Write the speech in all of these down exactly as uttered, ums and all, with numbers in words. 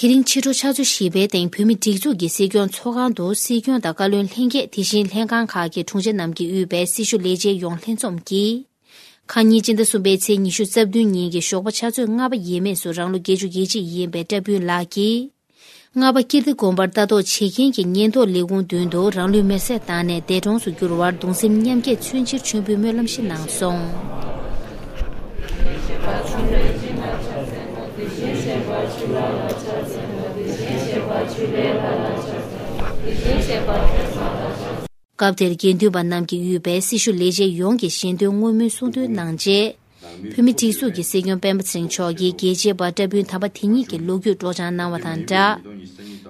དེ་རིང་ཕྱི་དྲོ་ཆུ་ཚོད་བཞི་པའི་སྟེང་བོད་མིའི་སྒྲིག་འཛུགས་ཀྱི་སྲིད་སྐྱོང་ཚོགས་ཁང་དུ་སྲིད་སྐྱོང་དང་བཀའ་བློན་ལྷན་རྒྱས། དེ་བཞིན་ལྷན་ཁང་ཁག་གི་དྲུང་ཆེ་རྣམས་ཀྱིས་དབུས་པའི་སྲི་ཞུ་ལས་བྱེད་ཡོངས་ལྷན་འཛོམས་ཀྱིས། ཁ་ཉིན་སྤྱི་ཟླ་གསུམ་པའི་ཚེས་ཉི་ཤུ་རྩ་བདུན་ཉིན་གྱི་ཞོགས་པ་ཆུ་ཚོད་ལྔ་པ་ཡས་མས་སུ་རང་ལོ་བརྒྱད་ཅུ་གྱ་གཅིག་ཡིན་པའི་བཀྲ་ཕུན་ལགས་ཀྱིས། རྔ་པ་ཀིརྟི་དགོན་པར་ལྟ་རྟོག་བྱེད་མཁན་གྱི་ཉེན་རྟོག་ལས་ཁུངས་མདུན་དུ་རང་ལུས་མེར་སྲེག་བཏང་ནས་འདས་གྲོངས་སུ་གྱུར་བར་གདུང་སེམས་མཉམ་སྐྱེད་མཚོན་ཕྱིར་མཆོད་འབུལ་སྨོན་ལམ་ཞིག་གནང་སོང་། སྐབས་དེར་དགེ་འདུན་པ་རྣམས་ཀྱིས་དབུས་པའི་སྲི་ཞུ་ལས་བྱེད་ཡོངས་ཀྱི་ཞལ་འདོན་བསྔོ་སྨོན་གསུང་འདོན་གནང་རྗེས། བོད་མིའི་སྒྲིག་འཛུགས་ཀྱི་སྲིད་སྐྱོང་སྤེན་པ་ཚེ་རིང་མཆོག་གིས་རྒྱལ་གཅེས་པ་བཀྲ་ཕུན་དམ་པ་དེ་ཉིད་ཀྱི་ལོ་རྒྱུས་སྒྲོག་སྦྱང་གནང་བ་དང་སྦྲགས།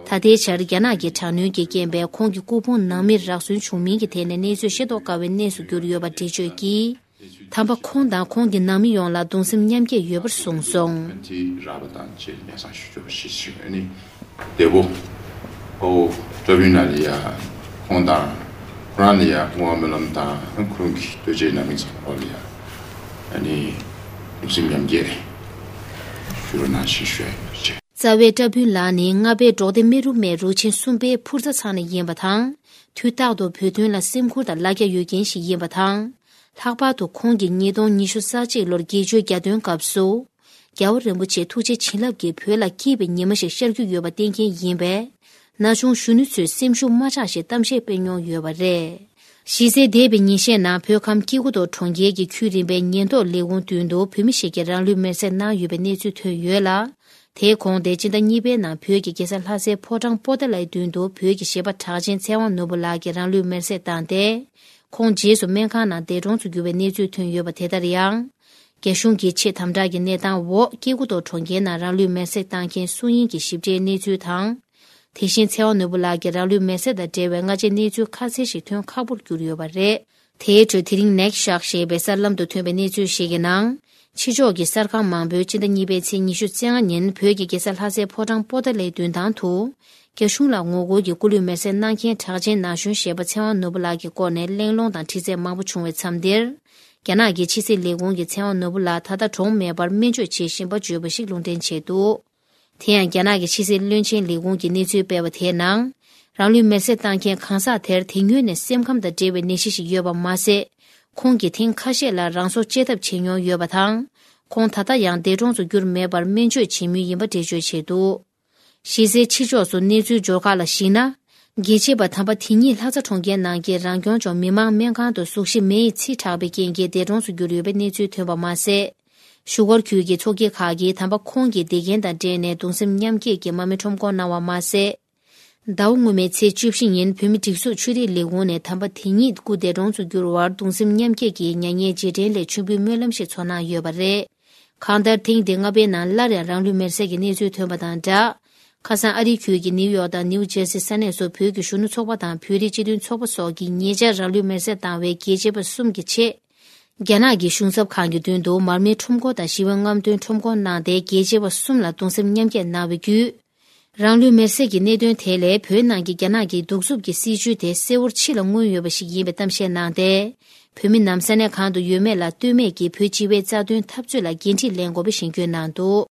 ད་ལྟའི་ཆར་རྒྱ་ནག་གི་དྲག་གནོན་གྱི་རྐྱེན་པས་ཁོང་གི་སྐུ་ཕུང་ནང་མིར་རག་སོན་བྱུང་མིན་གྱི་ཐད་ནས་གནས་ཚུལ་ཤེས་རྟོགས་དཀའ་བའི་གནས་སུ་གྱུར་ཡོད་པ་འགྲེལ་བརྗོད་ཀྱིས། དམ་པ་ཁོང་དང་ཁོང་གི་ནང་མི་ཡོངས་ལ་གདུང་སེམས་མཉམ་སྐྱེད་ཡོད་པར་གསུངས་སོང་། ཕན་ཐོགས་རག་པ་དང་བཅས་ལམ་སང་ཞུ་ཆོག་ཞེས་ཞུ། ཨ་ནི་འདས་པོ་ཨོ་བཀྲ་ཕུན་ལགས་ལ་ཡ་ཁོང་དང་ཁོ་རང་ལ་ཡ་བསྔོ་བ་སྨོན་ལམ་དང་ཁོང་གི་ལྟོ་ཆས་ནང་མི་ཚང་མ་ལ་ཡ་ཨ་ནི་གདུང་སེམས་མཉམ་སྐྱེད་ཞུ་རོགས་གནང་ཞེས་ཞུ་ཡ་ཡོད་ཅེས། རྩ་བའི་བཀྲ་ཕུན་ལགས་ནི་རྔ་པའི་འབྲོག་སྡེ་སྨེ་རུ་སྨད་རུ་ཆེན་གསུམ་པའི་ཕུར་རྩ་ཚང་ནས་ཡིན་པ་དང་། དུས་རྟག་ཏུ་བོད་དོན་ལ་སེམས་ཁུར་དང་ལ་རྒྱ་ཡོད་མཁན་ཞིག་ཡིན་པ་དང་། ལྷག་པར་དུ་ཁོང་གིས་ཉིས་སྟོང་ཉི་ཤུ་རྩ་གཅིག་ལོར་དགེ་ཆོས་རྒྱ་སྟོན་སྐབས་སུ། རྒྱལ་བ་རིན་པོ་ཆེ་ཐུགས་རྗེ་བྱིན་རླབས་ཀྱིས་བོད་ལ་སྐྱིད་པའི་ཉི་མ་ཞིག་ཤར་རྒྱུ་ཡོད་པ་བསྟན་མཁན་ཡིན་པས། ན་ཆུང་གཞོན་ནུ་ཚོས་སེམས་ཤུགས་མ་ཆག་ཞེས་གཏམ་བཤད་སྤེལ་མྱོང་ཡོད་པ་རེད། གཞི་རྩའི་འདས་པའི་ཉིན་ཤས་ནང་བོད་ཁམས་སྐྱེ་རྒུ་མདོ་གྲོང་ཁྱེར་གྱི་ཁྱོན་རིམ་པའི་ཉེན་རྟོག་ལས་ཁུངས་མདུན་དུ་བོད་མི་ཞིག་གིས་རང་ལུས་མེར་སྲེག་གནང་ཡོད་པའི་གནས་ཚུལ་ཐོན་ཡོད་ལ། དེའི་གོང་དེ་སྤྱི་ཟླ་གཉིས་པའི་ནང་བོད་ཀྱི་རྒྱལ་ས་ལྷ་སའི་ཕོ་བྲང་པོ་ཏཱ་ལའི་མདུན་དུ་བོད་ཀྱི་གཞས་པ་གྲགས་ཅན་ཚེ་དབང་ནོར་བུ་ལགས་ཀྱིས་རང་ལུས་མེར་སྲེག་བཏང་སྟེ། ཁོང་རྗེས་སུ་སྨན་ཁང་ནང་འདས་གྲོངས་སུ་གྱུར་བའི་གནས་ཚུལ་ཐོན་ཡོད་པ་དེ་ལྟར་ཡང་། རྒྱ་གཞུང་གིས་ཆེས་དམ་དྲག་གི་གནས་སྟངས་འོག་སྐྱེ་རྒུ་མདོ་གྲོང་ཁྱེར་ནང་རང་ལུས་མེར་སྲེག་བཏང་མཁན་སུ་ཡིན་གྱི་ཞིབ་ཕྲའི་གནས་ཚུལ་དང་། དེ་བཞིན་ཚེ་དབང་ནོར་བུ་ལགས་ཀྱི་རང་ལུས་མེར་སྲེག་དང་འབྲེལ་བའི་སྔ་རྗེས་གནས་ཚུལ་ཁ་གསལ་ཞིག་ཐོན་ཁག་པོར་གྱུར་ཡོད་པ་རེད། དེའི་ཁྲོད་དེ་རིང་ནེག་ཤག་ཞེས་པའི་གསར་ལམ་དུ་ཐོན་པའི་གནས་ཚུལ་ཞིག་གི་ནང་། ཕྱི་ཕྱོགས་ཀྱི་གསར་ཁང་མང་པོས་སྤྱི་ཟླ་གཉིས་པའི་ཚེས་ཉི་ཤུ་རྩ་ལྔ་ཉིན་བོད་ཀྱི་རྒྱལ་ས་ལྷ་སའི་ཕོ་བྲང་པོ་ཏཱ་ལའི་མདུན་ཐང་དུ། རྒྱ་གཞུང་ལ་ངོ་རྒོལ་གྱི་སྐུ་ལུས་མེར་སྲེག་གནང་མཁན་གྲགས་ཅན་ན་གཞོན་གཞས་པ་ཚེ་དབང་ནོར་བུ་ལགས་ཀྱི་སྐོར་ནས་གླེང་སློང་དང་དྲི་རྩད་མང་པོ་བྱུང་བའི་མཚམས་འདིར། རྒྱ་ནག་གི་ཕྱི་སྲིད་ལས་ཁུངས་ཀྱིས་ཚེ་དབང་ནོར་བུ་ལགས་ད་ལྟ་གྲོངས་མེད་པར་སྨན་བཅོས་བྱེད་བཞིན་པ་བརྗོད་པ་ཞིག་ལུང་འདྲེན་བྱས་འདུག་དེ་ཡང་རྒྱ་ནག་གི་ཕྱི་སྲིད་བློན་ཆེན་ལས་ཁུངས་ཀྱིས་གནས་ཚུལ་སྤེལ་བ་དེའི་ནང་། རང་ལུས་མེར་སྲེག་བཏང་མཁན་གང་ཟག་དེར་དེ་སྔོན་ནས་སེམས་ཁམས་དང་འབྲེལ་བའི་ནད་གཞི་ཞིག་ཡོད་པ་མ་ཟད། ཁོང་གིས་ཐེངས་ཁ་ཤས་ལ་རང་སྲོག་བཅད་ཐབས་བྱས་མྱོང་ཡོད་པ་དང་། ཁོང་ད་ལྟ་ཡང་འདས་གྲོངས་སུ་གྱུར་མེད་པར་སྨན་བཅོས་བྱེད་མུས་ཡིན་པ་འགྲེལ་བརྗོད་བྱས་འདུག་གཞི་རྩའི་ཕྱི་ཕྱོགས་སུ་གནས་ཚུལ་འབྱོར་ཁག་ལ་གཞིགས་ན། རྒྱལ་གཅེས་པ་དམ་པ་དེ་ཉིད་ལྷ་རྩ་གྲོང་ཁྱེར་ནང་གི་རང་སྐྱོང་ལྗོངས་མི་དམངས་སྨན་ཁང་དུ་གཟུགས་གཞི་མེ་ཡིས་འཚིག་དྲགས་པའི་རྐྱེན་གྱིས་འདས་གྲོངས་སུ་གྱུར་ཡོད་པའི་གནས་ཚུལ་ཐོན་པ་མ་ཟད། བཞུགས་སྒར་ཁུལ་གྱི་ཚོགས་སྐྱིད་ཁག་གིས་དམ་པ་ཁོང་གི་འདས་རྐྱེན་དང་འབྲེལ་ནས་གདུང་སེམས་མཉམ་སྐྱེད་ཀྱི་མར་མེ་ཁྲོམ་སྐོར་གནང་བ་མ་ཟད། ཟླ་བ་སྔོན་མའི་ཚེས་བཅུ་བཞི་ཉིན་བོད་མིའི་སྒྲིག་འཛུགས་ཆོས་རིག་ལས་ཁུངས་ནས་དམ་པ་དེ་ཉིད་སྐུ་འདས་གྲོངས་སུ་གྱུར་བར་གདུང་སེམས་མཉམ་སྐྱེད་ཀྱི་མྱ་ངན་རྗེས་དྲན་སླད་མཆོད་འབུལ་སྨོན་ལམ་ཞིག་ཚོགས་གནང་ཡོད་པ་རེད། གང་ལྟར་ཐེངས་འདི་རྔ་པའི་ནང་སླར་ཡང་རང་ལུས་མེར་སྲེག་གི་གནས་ཚུལ་ཐོན་པ་དང་སྦྲགས། ཁ་སང་ཨ་རིའི་ཁུལ་གྱི་ནིའུ་ཡོག་དང་ནིའུ་ཇེར་སི་ས་གནས་སུ་བོད་ཀྱི་གཞོན་ནུ་ཚོགས་པ་དང་བོད་རིགས་སྤྱི་མཐུན་ཚོགས་པ་སོགས་ཀྱིས་ཉེ་ཆར་རང་ལུས་མེར་སྲེག་བཏང་བའི་རྒྱལ་གཅེས་པ་གསུམ་གྱི་ཆེད། རྒྱ་ནག་གི་གཞུང་ཚབ་ཁང་གི་མདུན་དུ་མར་མེའི་ཁྲོམ་སྐོར་དང་ཞི་བའི་རྔམ་སྟོན་ཁྲོམ་སྐོར་གནང་སྟེ་རྒྱལ་གཅེས་པ་གསུམ་ལ་གདུང་སེམས་མཉམ་སྐྱེད་གནང་བའི་བརྒྱུད། རང་ལུས་མེར་སྲེག་གི་གནད་དོན་དེ་ལས་བོད་ནང་གི་རྒྱ་ནག་གི་གདུག་རྩུབ་ཀྱི་སྲིད་བྱུས་དེ་གསལ་བོར་ཕྱི་ལ་མངོན་ཡོད་པ་ཞིག་ཡིན་པའི་གཏམ་བཤད་གནང་སྟེ། བོད་མི་རྣམས་ས་གནས་གང་དུ་ཡོད་མེད་ལ་ལྟོས་མེད་ཀྱིས་བོད་སྤྱི་བའི་རྩ་དོན་འཐབ་རྩོད་ལ་འགན་འཁྲི་ལེན་དགོས་པའི་གཞེན་སྐུལ་གནང་འདུག